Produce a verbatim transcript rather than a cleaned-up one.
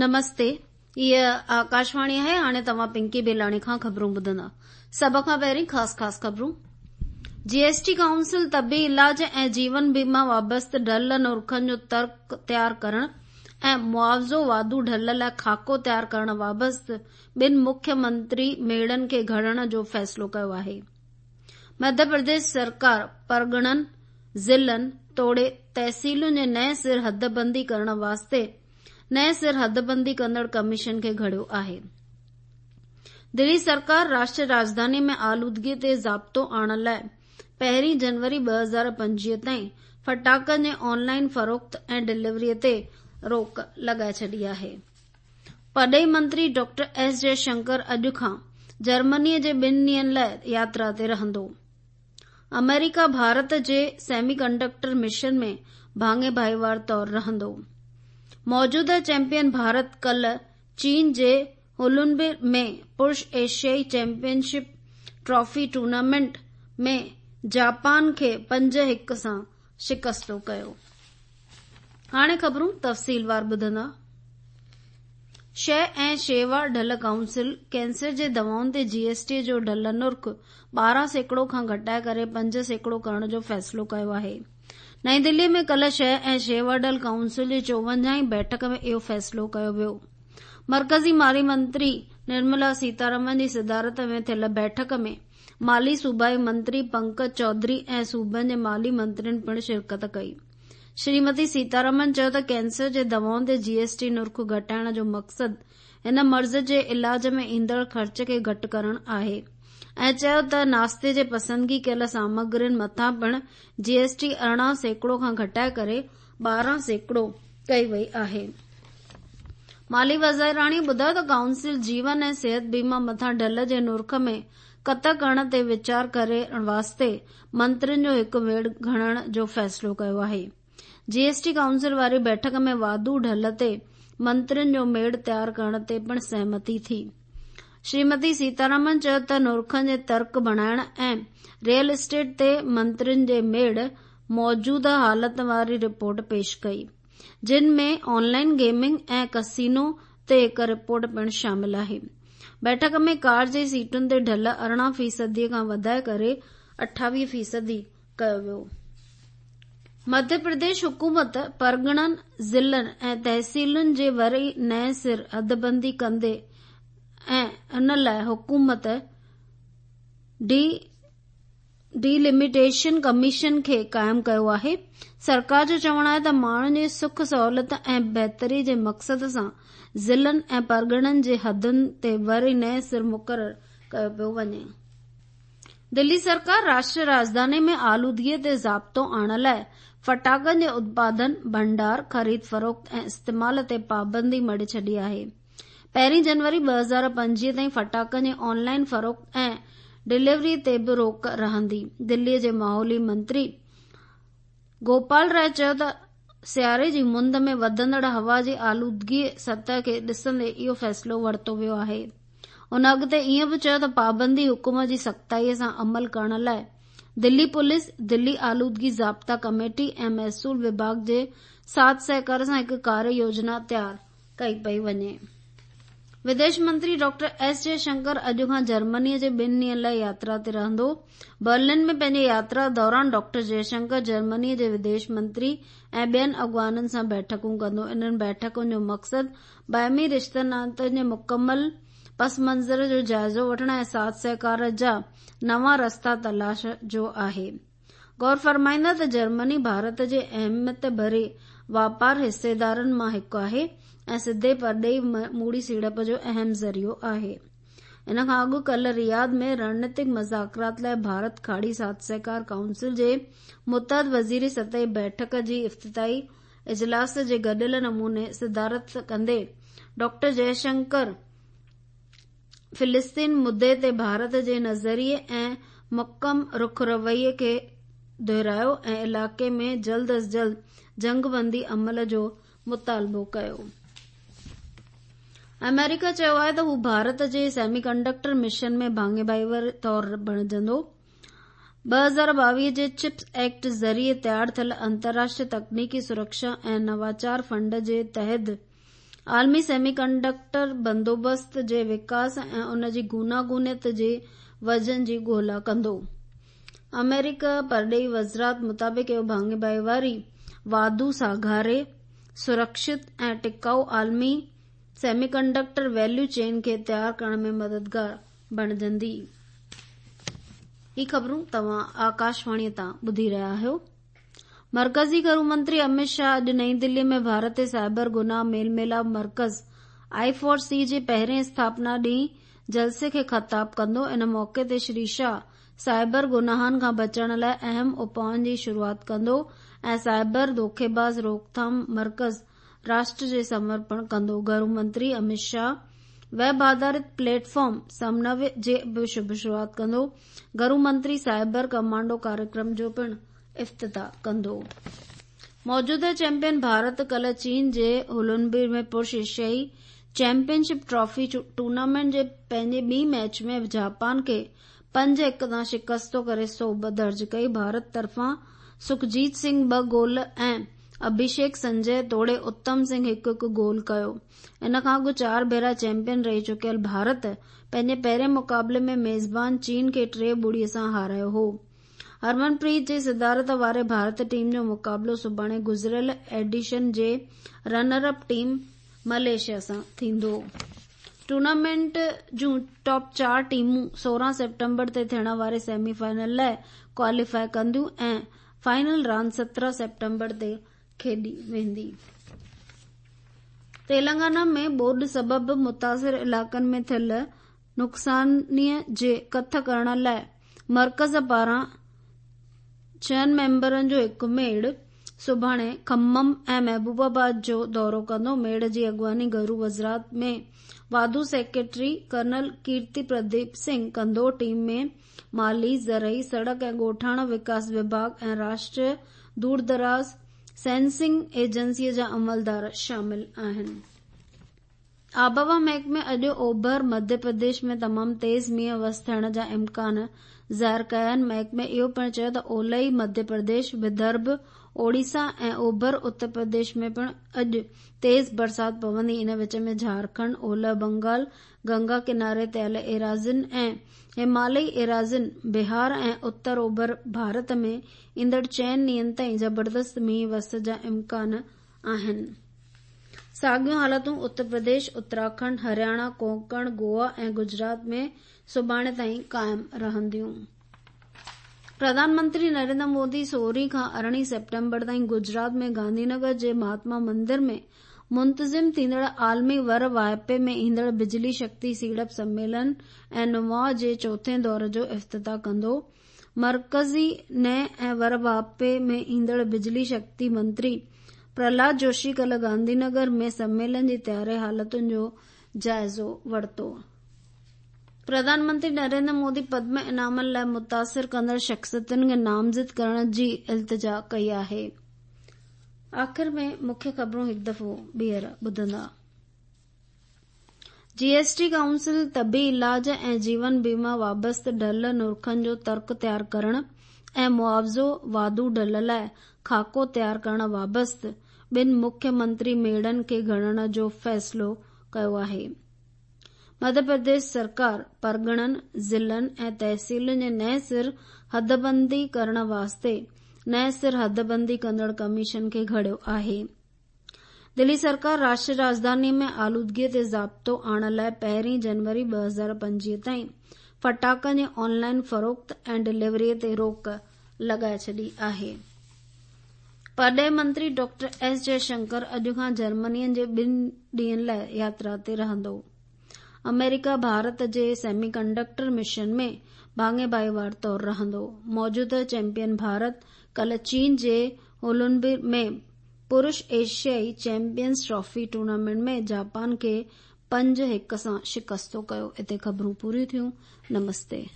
نمستي، هيء آڪاشواڻي آهي. هاڻي توهان پنڪي بيلاڻي کان خبرون ٻڌندا. سڀ کان پهرين خاص خاص خبرون. جي ايس ٽي ڪائونسل طبي علاج ۽ جيون بيما وابسته ڍل نرخن جو ترڪ تيار ڪرڻ ۽ معاوضو واڌو ڍل لاء خاڪو تيار ڪرڻ وابسته ٻن مکيه منتري ميڙن کي گهڙڻ جو فيصلو ڪيو آهي. مڌيه پرديش سرڪار پرڳڻن، ضلعن توڙي تحصيلن جي نئين سر حدبندي ڪرڻ واسطي نئين سر حدبندي ڪندڙ ڪميشن کي گهڙيو آهي. دلي سرڪار راشٽريه راڄڌاني ۾ آلودگي تي ضابطو آڻڻ لاء پهرين جنوري ٻه هزار پنجويهه تائين ڦٽاڪن جي آن لائن فروخت ۽ ڊليوري تي روڪ لڳائي ڇڏي آهي. پرڏيهي منتري ڊاڪٽر ايس جئشنڪر اڄ کان جرمني جي ٻن ڏينهن لاء ياترا تي رهندو. آمريڪا ڀارت جي سيمي ڪنڊڪٽر مشن ۾ ڀاڱي ڀائيوار طور رهندو. موجوده چيمپيئن ڀارت ڪلهه چين جي هولنبي ۾ پرش ايشيائي champion ship trophy tournament ۾ Japan کي پنج هڪ سان شڪستو ڪيو. هاڻي خبرون تفصيلوار ٻڌندا. شيء ۽ شيوا ڍل ڪائونسل ڪينسر جي دوائن تي جي ايس ٽي جو ڍل نرخ ٻارهن سيڪڙو کان گهٽائي ڪري پنج سيڪڙو ڪرڻ جو فيصلو ڪيو آهي. نئين دلي ۾ ڪلهه شيء ۽ شيوا ڍل ڪائونسل جي چوونجاهين بيٺڪ ۾ اهو فيصلو ڪيو ويو. مرڪزي مالي منتري نرملا سيتارمن جي صدارت ۾ ٿيل بيٺڪ ۾ مالي صوبائي منتري پنڪج چوڌري ۽ صوبن جي مالي منترين پڻ شرڪت ڪئي. شريمتي سيتارمن چيو ته ڪينسر جي دوائن تي جي ايس ٽي نرخ گهٽائڻ جو مقصد هن مرض جي علاج ۾ ايندڙ خرچ کي گهٽ ڪرڻ آهي ۽ چيو ته ناشتي جي پسندگي ڪيل سامگرين مٿان پڻ جي ايس ٽي ارڙهن سيڪڙو کان گهٽائي ڪري ٻارهن سيڪڙو ڪئي وئي آهي. مالي وزيراڻي ٻڌايو ته ڪائونسل جيون ۽ صحت بيما مٿان ڍل جي نرخ ۾ ڪت ڪرڻ تي ويچار ڪرڻ واسطي منترين جو هڪ ميڙ گهڙڻ جو فيصلو ڪيو آهي. جي ايس ٽي ڪائونسل واري بيٺڪ ۾ واڌو ڍل تي منترين جو ميڙ تيار ڪرڻ تي پڻ سهمتي ٿي. شريمتي سيتارمن چيو ته نرخن جي ترڪ بڻائڻ ۽ ريئل اسٽيٽ تي منترين جي ميڙ موجوده حالت واري رپورٽ پيش ڪئي، جن ۾ آن لائن گيمنگ ۽ ڪسينو تي هڪ رپورٽ پڻ شامل آهي. بيٺڪ ۾ ڪار جي سيٽن تي ڍل ارڙهن فيصدي کان وڌائي ڪري اٺاويهه فيصدي ڪيو ويو. مڌيه پرديش حڪومت پرڳڻن، ضلعن ۽ تحصيلن جي وري نئين سر حدبندي ڪندي ۽ ان لاء حڪومت ڊي ڊيلميٽيشن ڪميشن کي قائم ڪيو آهي. سرڪار جو چوڻ آهي ته ماڻهن جي سک سهولت ۽ بهتري جي مقصد سان ضلعن ۽ پرڳڻن جي حدن تي وري نئين سر مقرر ڪيو پيو وڃي. دلي سرڪار راشٽريه راڄڌاني ۾ آلودگي تي ضابطو آڻڻ لاء ڦٽاڪن جي اتپادن، ڀنڊار، خريد فروخت ۽ استعمال تي پابندي مڙهي ڇڏي آهي. پهرين جنوري ٻه هزار پنجويهه تائين ڦٽاڪن جي آن لائن فروخت ۽ ڊليوري تي به روڪ رهندي. دلي جي ماحولي منتري گوپال راءِ چيو ته سياري جي مند ۾ وڌندڙ هوا جي آلودگي سطح کي ڏسندي اهو فيصلو ورتو ويو آهي. هن اڳتي ائين به چيو ته پابندي حڪم جي سختائي سان عمل ڪرڻ لاء دلي پوليس، دلي آلودگي ضابطا ڪميٽي ۽ محصول وڀاڳ جي ساٿ سهڪار سان هڪ ڪاريه يوجنا تيار ڪئي پئي وڃي. وديش منتري ڊاڪٽر ايس جئشنڪر اڄ کان جرمني جي ٻن ڏينهن لاء ياترا تي رهندو. برلن ۾ پنهنجي ياترا دوران ڊاڪٽر جئشنڪر جرمني جي وديش منتري ۽ ٻين اڳواڻن سان بيٺڪون ڪندو. انهن بيٺڪن جو مقصد باهمي رشتن ناتن جي مڪمل پس منظر جو جائزو وٺڻ ۽ ساٿ سهڪار جا نوان رستا تلاش جو آهي. غور فرمائيندا ته جرمني ڀارت جي اهميت ڀري واپار حصيدارن مان هڪ آهي ۽ سڌي پرڏيهي موڙي سيڙپ جو اهم ذريعو آهي. ان کان اڳ ڪلهه رياض ۾ رڻنيتڪ مذاڪرات لاء ڀارت کاڙي ساٿ سهڪار ڪائونسل جي متحد وزيري سطحي بيٺڪ جي افتتاحي اجلاس جي گڏيل نموني صدارت ڪندي ڊاڪٽر جئشنڪر فلسطين مدعي تي ڀارت جي نظريي ۽ محڪم رخ رويي کي دهرايو ۽ علائقي ۾ جلد از جلد جنگبندي عمل جو مطالبو ڪيو. آمريڪا چيو آهي ته هو ڀارت جي سيمي ڪنڊڪٽر مشن ۾ ڀاڱي ڀائيوار طور بڻجندو. ٻه هزار ٻاويهه جي چپس ايڪٽ ذريعي تيار ٿيل انترراشٽريه تڪنيڪي سرڪشا ۽ نواچار فنڊ جي تحت आलमी सेमीकंडक्टर बंदोबस्त जे विकास ऐं उन जी गुनागुनियत जे वजन जी ॻोल्हा कंदो। अमेरिका परॾेही वज़ारत मुताबिक़ इहो भाङे भाईवारी वाधू साघारे, सुरक्षित ऐं टिकाऊ आलमी सेमीकंडक्टर वैल्यू चेन खे तयार करण में मददगार बणिजंदी। ही ख़बरूं तव्हां आकाशवाणीअ तां ॿुधी रहिया आहियो। मरकज़ी घरू मंत्री अमित शाह अॼु नई दिल्ली में भारत ते साइबर गुनाह मेल मिलाप मर्कज़ I four सी जे पहिरें स्थापना ॾींहुं जलसे खे ख़िताब कंदो। इन मौक़े ते श्री शाह साइबर गुनाहनि खां बचण लाइ अहम उपाउनि जी शुरूआत कंदो ऐं साइबर धोखेबाज़ रोकथाम मर्कज़ राष्ट्र जे समर्पण कंदो। घरू मंत्री अमित शाह वेब आधारित प्लेटफॉर्म समन्वय जे बि शुरूआत कंदो। घरू मंत्री साइबर कमांडो कार्यक्रम जो पिणु इफ्तिताह कंदो। मौजूदा चैंपियन भारत कल चीन जे हुलुनबीर में पुरुष एशियाई चैंपियनशिप ट्रॉफी टूर्नामेंट जे पंहिंजे ॿी मैच में जापान खे पंज हिकु तां शिकस्तो करे सोभ दर्ज कई। भारत तरफ़ां सुखजीत सिंह ॿ गोल ऐं अभिषेक संजय तोड़े उत्तम सिंह हिकु हिकु गोल कयो। इन खां अॻु चार भेरा चैंपियन रही चुकियल भारत पंहिंजे पहिरें मुक़ाबले में मेज़बान चीन खे टे ॿुड़ीअ सां हारायो हो। हरमनप्रीत जी सदारत वारे भारत टीम जो मुक़ाबलो सुभाणे गुज़िरियल एडिशन जे रनर अप टीम मलेशिया सां थींदो। टूर्नामेंट जूं टॉप चार टीमूं सोरहं सेप्टेम्बर ते थियण वारे सेमीफाइनल लाइ क्वालीफाई कंदियूं ऐं फाइनल रांदि सत्रहं सेप्टेम्बर ते खेॾी वेंदी। तेलंगाना में ॿोॾ सबबु मुतासिर इलाइक़नि में थियल नुक़सानीअ जे कथ करण लाइ मर्कज़ पारां छहनि मेंबरनि जो हिकु मेड़ सुभाणे खम्मम ऐं महबूबाबाद जो दौरो कंदो। मेड़ जी अॻुवानी घरू वज़ारत में वाधू सेक्रेटरी कर्नल कीर्ति प्रदीप सिंह कंदो। टीम में माली, ज़रई, सड़क ऐं ॻोठाणा विकास विभाग ऐं राष्ट्रीय दूरदराज़ सेंसिंग एजेंसीअ जा अमलदार शामिल आहिनि। आबहवा महकमे अॼु ओभर मध्य प्रदेश में तमामु तेज़ मींहुं वस थियण जा इम्कान ज़ाहिर कया आहिनि। महकमे इहो पिणु चयो त ओलही मध्य प्रदेश, विदर्भ, ओडिशा ऐं ओभर उत्तर प्रदेश में पिणु अॼु तेज़ बरसाति पवंदी। इन विच में झारखंड, ओलह बंगाल, गंगा किनारे ते आयल एराज़िन ऐं हिमालयी एराज़िन, बिहार ऐं उत्तर ओभर भारत में ईंदड़ चइनि ॾींहंनि ताईं ज़बरदस्त मींहुं वस जा इम्कान आहिनि। साॻियूं हालतूं उत्तर प्रदेश, उत्तराखंड, हरियाणा, कोंकण, गोवा ऐं गुजरात में सुभाणे ताईं क़ाइमु रहंदियूं। प्रधानमंत्री नरेंद्र मोदी सोरहं खां अरिड़हीं सेप्टेम्बर ताईं गुजरात में गांधीनगर जे महात्मा मंदिर में मुंतज़िम थींदड़ आलमी वर वाहिपे में ईंदड़ बिजली शक्ति सीड़प सम्मेलन ऐं नुमाउ जे चोथें दौर जो इफ्तिताह कंदो। मर्कज़ी नए ऐं वर वाहिपे में ईंदड़ बिजली शक्ति मंत्री प्रहलाद जोशी कल गांधीनगर में सम्मेलन जी तयारी हालतुनि जो जाइज़ो वरितो। प्रधानमंत्री नरेंद्र मोदी पद्म इनामनि लाइ मुतासिर कंदड़ शख़्सियतुनि खे नामज़द करण जी इल्तिजा कई आहे। आख़िर में मुख्य ख़बरूं हिकु दफ़ो ॿीहर ॿुधंदा। जीएसटी काउंसिल तबी इलाज ऐं जीवन बीमा वाबस्ता ढल नुरखनि जो तर्क तयार करण ऐं मुआवज़ो वाधू ढल लाइ खाको तयार करण वाबस्ता ॿिनि मुख्यमंत्री मेड़नि खे घणण जो फ़ैसिलो कयो आहे। मध्य प्रदेश सरकार परगणनि, ज़िलनि ऐं तहसीलुनि जे नए सिर हदबंदी करण वास्ते नए सिर हदबंदी कंदड़ कमीशन खे घड़ियो आहे। दिल्ली सरकार राष्ट्रीय राजधानी में आलूदगीअ ते ज़ाब्तो आणण लाइ पहिरीं जनवरी ॿ हज़ार पंजवीह ताईं फटाकनि जी ऑनलाइन फ़रोख़्त ऐं डिलीवरीअ ते रोक लॻाए छॾी आहे। परॾेही मंत्री डॉक्टर एस जयशंकर अॼु खां जर्मनीअ जे ॿिनि ॾींहंनि लाइ यात्रा ते रहंदो। अमेरिका भारत जे सेमीकंडक्टर मिशन में भाङे भाईवार तौर रहंदो। मौजूदा चैंपियन भारत कल चीन जे हुलुनबीर में पुरुष एशियाई चैंपियंस ट्रॉफी टूर्नामेंट में जापान खे पंज हिकु सां शिकस्तो कयो। हिते ख़बरूं पूरियूं थियूं। नमस्ते।